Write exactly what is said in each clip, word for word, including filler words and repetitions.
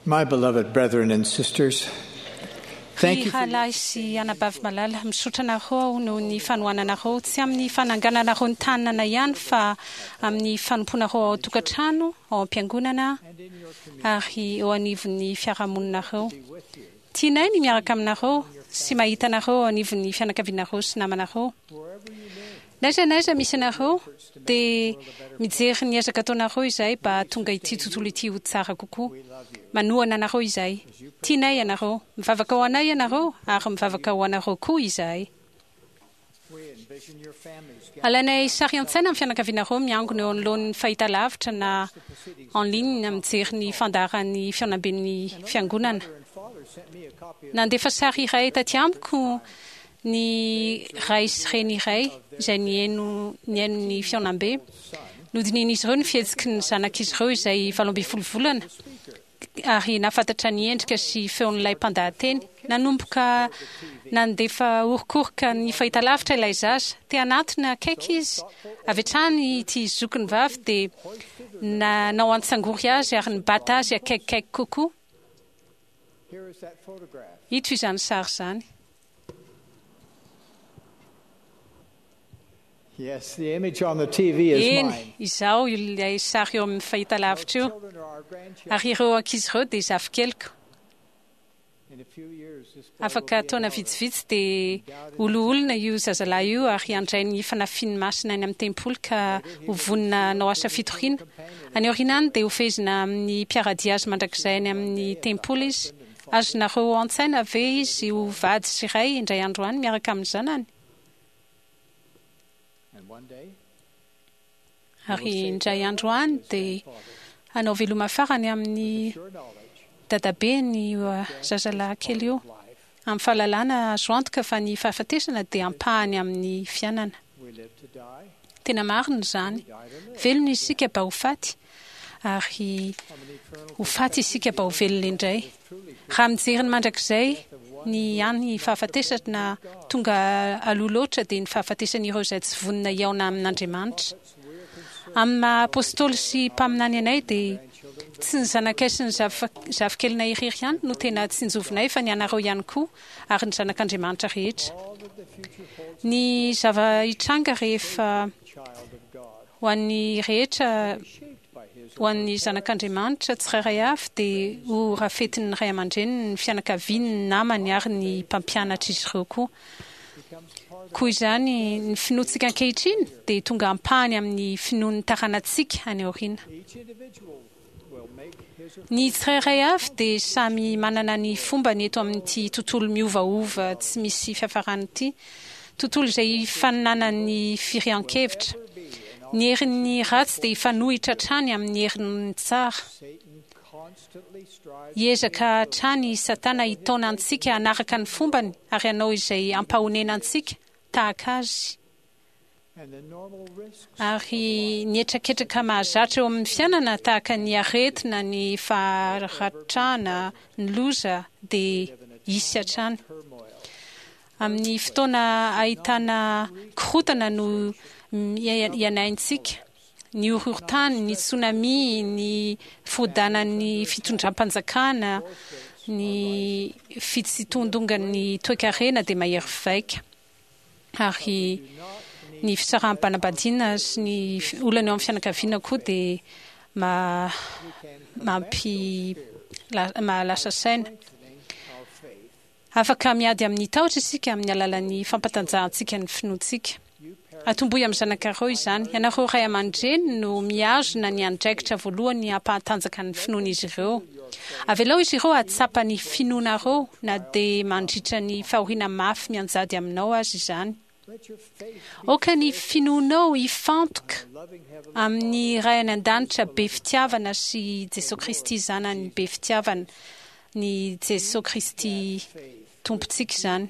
My beloved brethren and sisters, thank Ry you for rahalahy sy anabavy malala, misaotra anareo aho noho ny fanohananareo, tsy amin'ny fanangananareo ny tanana ihany fa amin'ny fanompoanareo ao an-tokantrano, ao am-piangonana ary eo anivon'ny fiarahamoninareo. Tianay ny miaraka aminareo sy mahita anareo eo anivon'ny fianakavianareo sy namanareo. N'aiza n'aiza misy anareo dia mijery ny ezaka ataonareo izahay mba hahatonga ity tontolo ity ho tsara kokoa. Manohana anareo izahay. Tianay ianareo. Mivavaka ho anay ianareo ary mivavaka ho anareo koa izahay. Alainay sary an-tsaina ny fianakavianareo miangona eo anoloan'ny fahitalavitra na en ligne mijery ny fandaharan'ny fihaonamben'ny fiangonana. Nandefa sary iray taty amiko ny ray sy reny iray izay nihaino nihaino ny fihaonambe. Nodinihin'izy ireo ny fihetsiky ny zanak'izy ireo izay valo ambin'ny folo volana ary nahafantatra ny endrika sy feon'ilay mpandahateny. Nanomboka nandefa orokoroka ny fahitalavitra ilay zaza. Te hanatona akaiky izy. Avy hatrany ity zokiny vavy dia nanao antsangory azy ary nibata azy akaikikaiky kokoa. Here is that photograph. Ito izany sary izany. Yes, the image on the T V is Eny, mine. izaho ilay sary eo amin'ny fahitalavitra io. Children are our grandchildren. Ary ireo ankizy ireo dia zafikeliko. In a few years, this boy will Afaka be an taona elder. vitsivitsy dia ho loholona io zazalahy io ary handray ny fanafian'ny masina any amin'ny tempoly ka ho vonona hanao asa fitoriana. Any aoriana any dia hofehezina amin'ny mpiara-dia azy mandrakizay any amin'ny tempoly izy. Azonareo an-tsaina ve izy ho vady sy ray indray andro any miaraka amin'ny zanany? And one day, Ary indray andro any dia hanao veloma farany amin'ny sure knowledge dadabeny io zazalahy kely io. life, Amin'ny fahalalana azo antoka fa ny fahafatesana dia ampahany amin'ny fiainana. we live to die, Tena marina izany. die to live. Velona isika mba ho faty ary From an eternal ho faty isika mba ho velona indray. truly Raha mijery ny mandrakizay ny any fahafatesana tonga aloha loatra dia ny fahafatesan'ireo izay tsy vonona hihaona amin'Andriamanitra. Amin'ny maha apôstôly sy mpaminany anay dia tsy ny zanakay sy ny zafa- zafikelinay irery ihany no tena tsinjovinay fa ny anareo ihany koa ary ny zanak'Andriamanitra rehetra. all that the future holds Ny zava-hitranga rehefa child of God, ho an'ny rehetra shaped by his ho an'ny zanak'Andriamanitra tsirairay avy dia ho rafetin'ny ray aman-dreniny, ny fianakaviany, ny namany ary ny mpampianatra izy ireo koa. becomes part of Koa izany ny finoantsika ankehitriny dia tonga ampahany amin'ny finoan'ny taranantsika any aoriana. Each individual will make his or Ny tsirairay avy dia samy manana ny fombany eto amin'ity tontolo miovaova tsy misy fiafarany ity, tontolo izay ifaninanan'ny firehan-kevitra. Ny herin'ny ratsy dia hifanohitra hatrany amin'ny herin'ny tsara. Satan constantly strives Hiezaka hatrany i Satana hitaona antsika hanaraka ny fombany ary hanao izay hampahonena antsika tahaka azy. and the normal risks Ary ny hetraketraka mahazatra eo amin'ny fiainana tahaka ny aretina, ny faharatrana, ny loza dia hisy hatrany. Turmoil. Amin'ny fotoana ahitana korontana no iainantsika, ny horohorontany, ny tsunami, ny firodanan'ny fitondram-panjakana, ny fitsitondongan'ny toekarena dia mahery vaika. Ary ny fisaraham-panambadiana sy ny olana eo amin'ny fianakaviana koa dia ma mampi la- mahalasa saina. Our faith. Afaka miady amin'ny tahotra isika amin'ny alalan'ny fampatanjahantsika ny finoantsika. Atombohy amin'ny zanakareo izany. Ianareo ray aman-dreny no mihazona ny andraikitra voalohany hampahatanjaka ny finoan'izy ireo. Avelao izy ireo hahatsapa ny finoanareo na dia mandritra ny fahoriana mafy mianjady aminao azy izany. Let your faith Aoka ny finoanao hifantoka loving heavenly amin'ny Ray any an-danitra be fitiavana sy Jesosy Kristy zanany be fitiavana, ny Jesosy Kristy Tompontsika izany.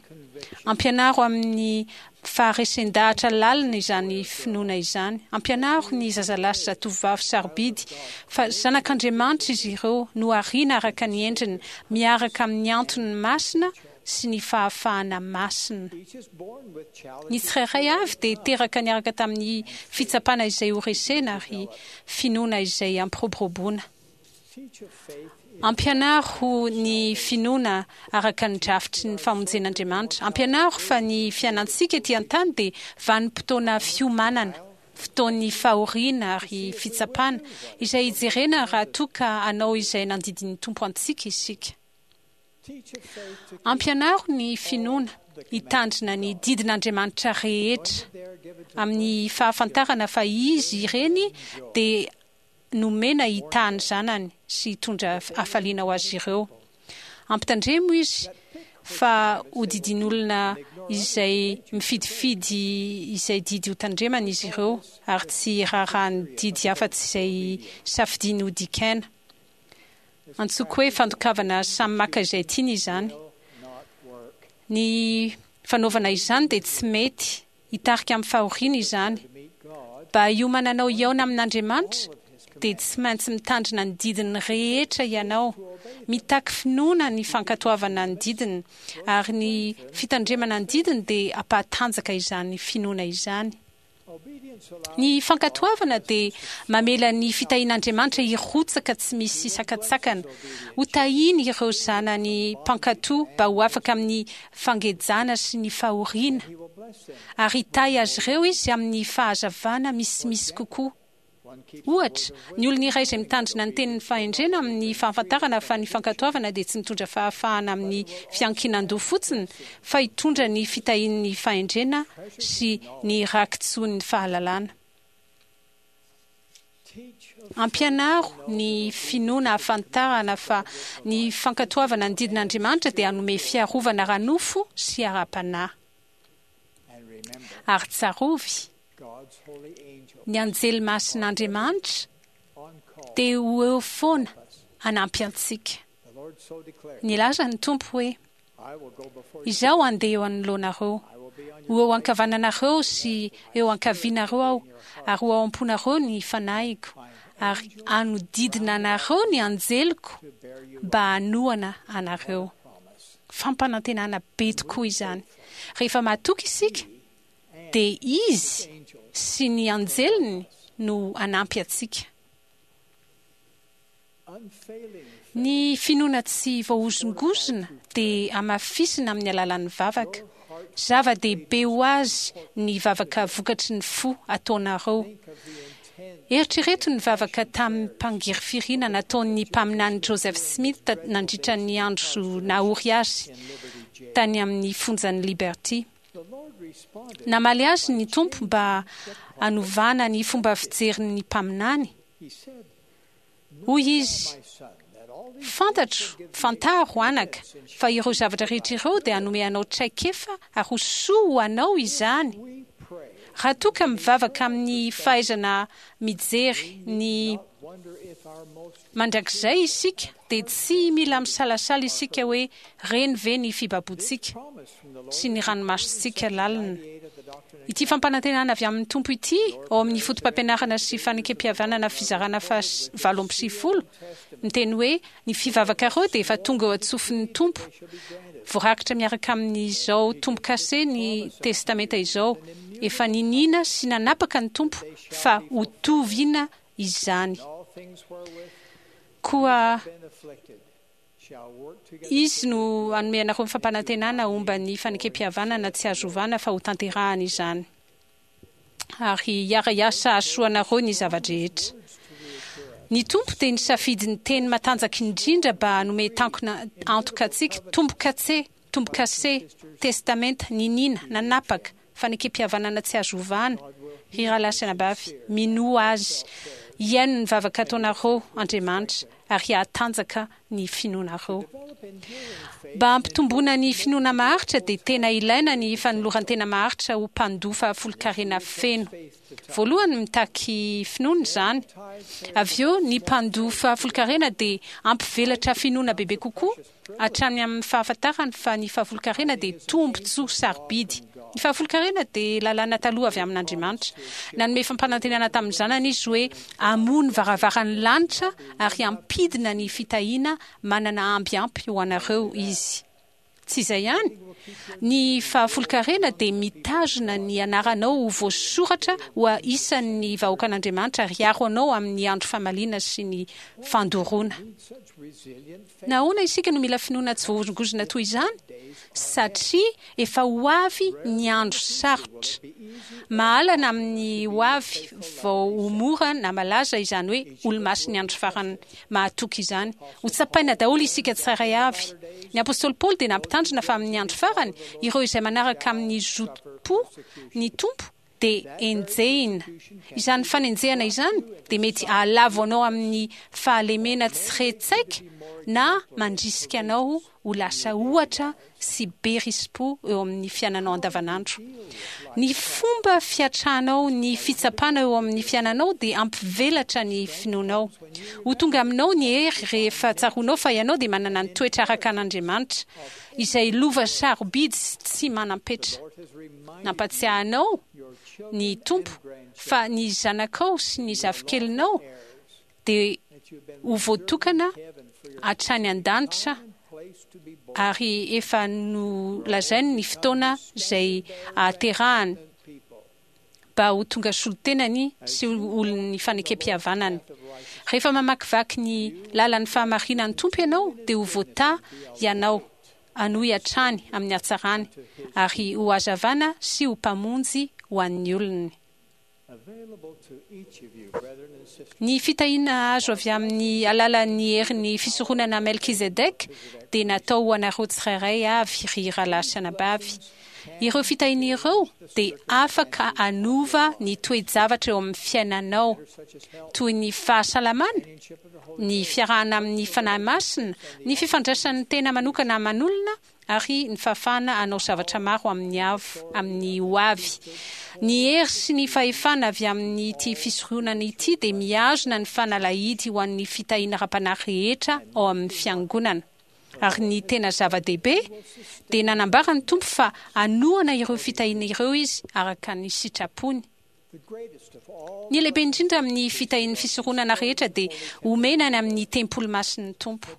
Ampianaro amin'ny faharesen-dahatra lalina izany finoana izany. Ampianaro ny zazalahy sy zatovovavy sarobidy fa zanak'Andriamanitra izy ireo, nohariana araka ny endriny, miaraka amin'ny antony masina sy ny fahafahana masina. Each is born with Ny challenges tsirairay avy dia teraka niaraka tamin'ny fitsapana izay ho resena ary finoana izay ampiroboroboana. Ampianaro ny finoana araka ny drafitry ny famonjen'Andriamanitra. Ampianaro fa ny fiainantsika ety an-tany dia vanim-potoana fiomanana, fotoan'ny fahoriana ary fitsapana, izay hijerena raha toa ka hanao izay nandidin'ny Tompo antsika isika. Ampianaro ny finoana hitandrina ny didin'Andriamanitra rehetra amin'ny fahafantarana fa izy ireny dia nomena hitaha ny zanany sy hitondra hafaliana ho azy ireo. Ampitandremo izy fa ho didin'olona izay mifidifidy izay didy ho tandremana izy ireo ary tsy raharahan'ny didy afa-tsy izay safidiany ho dikaina. Antsoiko hoe fandokavana samy maka izay tiany izany. Ny fanaovana izany dia tsy mety hitarika amin'ny fahoriana izany. Mba hiomananao hihaona amin'Andriamanitra dia tsy maintsy mitandrina ny didiny rehetra ianao. Mitaky finoana ny fankatoavana ny didiny ary ny fitandremana ny didiny dia hampahatanjaka izany finoana izany. Ny fankatoavana dia mamela ny fitahian'Andriamanitra hirotsaka tsy misy sakantsakana. Ho tahiny ireo zanany mpankatò mba ho afaka amin'ny fangejana sy ny fahoriana, ary hitahy azy ireo izy amin'ny fahazavana misimisy kokoa. Ohatra, ny olona iray izay mitandrina ny tenin'ny fahendrena amin'ny fahafantarana fa ny fankatoavana dia tsy mitondra fahafahana amin'ny fiankinan-doha fotsiny, fa hitondra ny fitahian'ny fahendrena sy ny rakitsoan'ny fahalalana. Ampianaro ny finoana hahafantarana fa ny fankatoavana ny didin'Andriamanitra dia hanome fiarovana ara-nofo sy ara-panahy. Ary tsarovy, ny anjely masin'Andriamanitra dia ho eo foana hanampy antsika. Nilaza ny Tompo hoe, Izaho handeha eo anoloanareo, ho eo ankavananareo sy eo ankavianareo aho, ary ho ao am-ponareo ny fanahiko, ary hanodidina anareo ny anjeliko mba hanohana anareo. Fampanantenana be tokoa izany. Rehefa matoky isika, dia izy sy ny anjeliny no hanampy antsika. Ny finoana tsy voahozongozona dia hamafisina amin'ny alalan'ny vavaka. Zava-dehibe ho azy ny vavaka vokatry ny fo ataonareo. Eritrereto ny vavaka tamim-pangirifiriana nataon'ny mpaminany Joseph Smith nandritra ny andro nahory azy tany amin'ny fonjan'i Liberty. Namaly azy ny Tompo mba hanovana ny fomba fijerin'ny mpaminany. Hoy izy, Fantatro, fantaro anaka, fa ireo zavatra rehetra ireo dia hanome anao traikefa ary ho soa ho anao izany. Raha toa ka mivavaka amin'ny fahaizana mijery ny mandrakizay isika, dia tsy mila misalasala isika hoe reny ve ny fibaboantsika sy ny ranomasontsika lalina. Ity fampanantenana avy amin'ny Tompo ity ao amin'ny foto-pampianarana sy fanekem-pihavanana fizarana faha valo amby sivifolo miteny hoe ny fivavakareo dia efa tonga eo an-tsofin'ny Tompo. Voarakitra miaraka amin'izao tombo-kase ny Testamenta izao. Efa niniana sy nanapaka ny Tompo fa ho tovina izany. Koa izy no hanome anareo ny fampanantenana momba ny fanekem-pihavanana tsy azo ovana fa ho tanterahana izany, ary hiara-hiasa hahasoa anareo ny zava-drehetra. Ny Tompo dia nisafidy ny teny matanjaka indrindra mba hanome tankona antoka antsika: tombo-kase, tombo-kase, testamenta, niniana, nanapaka, fanekem-pihavanana tsy azo ovana. Ry rahalahy sy anabavy, minoa azy, hihaino ny vavaka ataonareo Andriamanitra, ary hahatanjaka ny finoanareo. Mba hampitomboana ny finoana maharitra dia tena ilaina ny fanoloran-tena maharitra ho mpandoa fahafolonkarena feno. Voalohany, mitaky finoana izany. Avy eo, ny mpandoa fahafolonkarena dia hampivelatra finoana bebe kokoa hatrany amin'ny fahafantarany fa ny fahafolonkarena dia tombontsoa sarobidy. Ny fahafolonkarena dia lalàna taloha avy amin'Andriamanitra. Nanome fampanantenana tamin'ny zanany izy hoe hamoha ny varavaran'ny lanitra ary hampidina ny fitahiana manana amby ampy ho anareo izy. Tsy izay ihany, ny fahafolonkarena dia mitazona ny anaranao ho voasoratra ho isan'ny vahoakan'Andriamanitra ary hiaro anao amin'ny andro famaliana sy ny fandoroana. Nahoana isika no mila finoana tsy voahozongozona toy izany? Satria efa ho avy ny andro sarotra. Mahalana amin'ny ho avy vao ho mora na malaza izany hoe olomasin'ny andro farany mahatoky izany. Ho tsapaina daholo isika tsirairay avy. Ny apostoly Paoly dia nampitandrina fa amin'ny andro farany, ireo izay manaraka amin'ny zotom-po ny Tompo dia enjehina. Izany fanenjehana izany dia mety hahalavo anao amin'ny fahalemena tsy re tsaika na mandrisika anao ho lasa ohatra sy be risi-po eo amin'ny fiainanao andavanandro. Ny fomba fiatranao ny fitsapana eo amin'ny fiainanao dia hampivelatra ny finoanao. Ho tonga aminao ny hery rehefa tsaroanao fa ianao dia manana ny toetra araka an'Andriamanitra, izay lova sarobidy sy tsy manam-petra. Nampatsiahy anao ny Tompo fa ny zanakao sy ny zafikelinao dia ho voatokana hatrany an-danitra ary efa nolazainy ny fotoana izay ahaterahany mba ho tonga solontenany sy olon'ny fanekempihavanany. Rehefa mamakivaky ny lalan'ny fahamarinan'ny Tompo ianao dia ho voatahy ianao hanohy hatrany amin'ny hatsarany ary ho hazavana sy ho mpamonjy ho an'ny olony. Ny fitahiana azo avy amin'ny alalan'ny herin'ny fisoronana Melkizedek dia natao ho anareo tsirairay avy, ry rahalahy sy anabavy. Ireo fitahiana ireo dia afaka hanova ny toe-javatra eo amin'ny fiainanao, toy ny fahasalamana, ny fiarahana amin'ny Fanahy Masina, ny fifandraisan'ny tena manokana aman'olona, ary ny fahafahana hanao zavatra maro amin'ny avo amin'ny ho avy. Ny hery sy ny fahefana avy amin'ity fisoronana ity dia mihazona ny fanalahidy ho an'ny fitahiana ara-panahy rehetra ao amin'ny Fiangonana. Ary ny tena zava-dehibe dia nanambara ny Tompo fa hanohana ireo fitahiana ireo Izy araka ny sitrapony. Ny lehibe indrindra amin'ny fitahian'ny fisoronana rehetra dia omena any amin'ny tempoly masin'ny Tompo.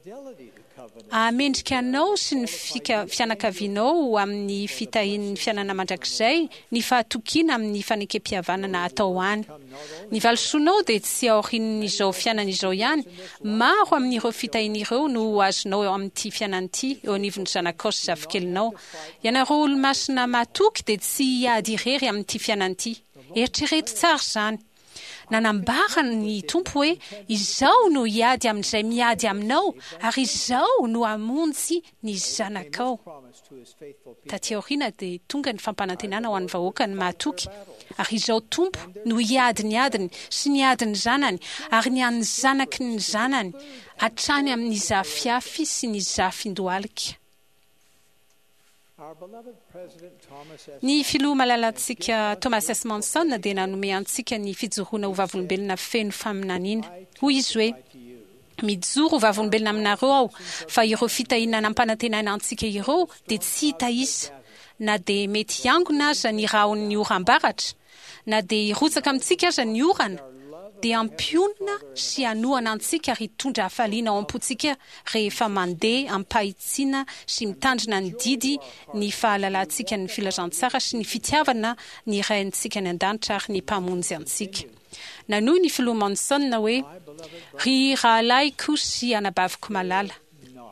Hahamendrika anao sy ny fianakavianao ho amin'ny fitahian'ny fiainana mandrakizay ny fahatokiana amin'ny fanekempihavanana atao any. Ny valisoanao dia tsy aorian'izao fiainana izao ihany. Maro amin'ireo fitahiana ireo no ho azonao eo amin'ity fiainana ity, eo anivon'ny zanakao sy zafikelinao. Ianareo olomasina matoky dia tsy hiady irery amin'ity fiainana ity. Eritrereto tsara izany. Nanambara ny Tompo hoe, Izaho no hiady amin'izay miady aminao, ary Izaho no hamonjy ny zanakao. Taty aoriana dia tonga ny fampanantenana ho an'ny vahoakany mahatoky, Ary Izaho Tompo no hiady ny adiny sy ny adin'ny zanany ary ny an'ny zanaky ny zanany, hatrany amin'ny zafiafy sy ny zafindohalika. Ny Filoha malalantsika Thomas S. Monson dia nanome antsika ny fijoroana ho vavolombelona feno faminaniana. Hoy izy hoe, Mijoro ho vavolombelona aminareo aho fa ireo fitahiana nampanantenaina antsika ireo dia tsy hita isa, na dia mety hiangona aza ny rahon'ny oram-baratra, na dia hirotsaka amintsika aza ny orana, dia hampionona sy hanohana antsika ary hitondra hafaliana ao am-pontsika rehefa mandeha amim-pahitsiana sy mitandrina ny didy ny fahalalantsika ny filazantsara sy ny fitiavana ny Raintsika any An-danitra ary ny Mpamonjy antsika. Nanohy ny Filoha Monson hoe, Ry rahalahiko sy anabaviko malala,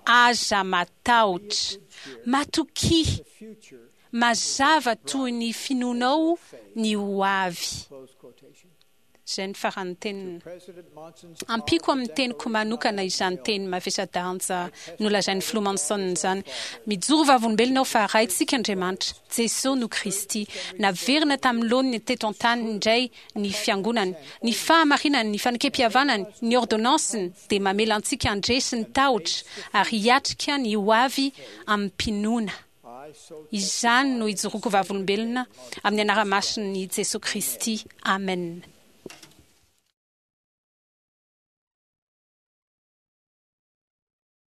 aza matahotra. Matokia. Mazava toy ny finoanao ny ho avy. Izay ny faran'ny teniny. Ampiako amin'ny teniko manokana izany teny mavesa-danja nolazain'ny Filoha Monson izany. Mijoro vavolombelona aho fa Raintsika Andriamanitra, Jesoa no Kristy. Naverina tamin'ny laoniny teto an-tany indray ny Fiangonany. Ny fahamarinany, ny fanekempihavanany, ny ôrdônansiny dia mamela antsika handresy ny tahotra ary hiatrika ny ho avy amim-pinoana. Izany no ijoroako vavolombelona amin'ny anara-masin'i Jesoa Kristy. Amen.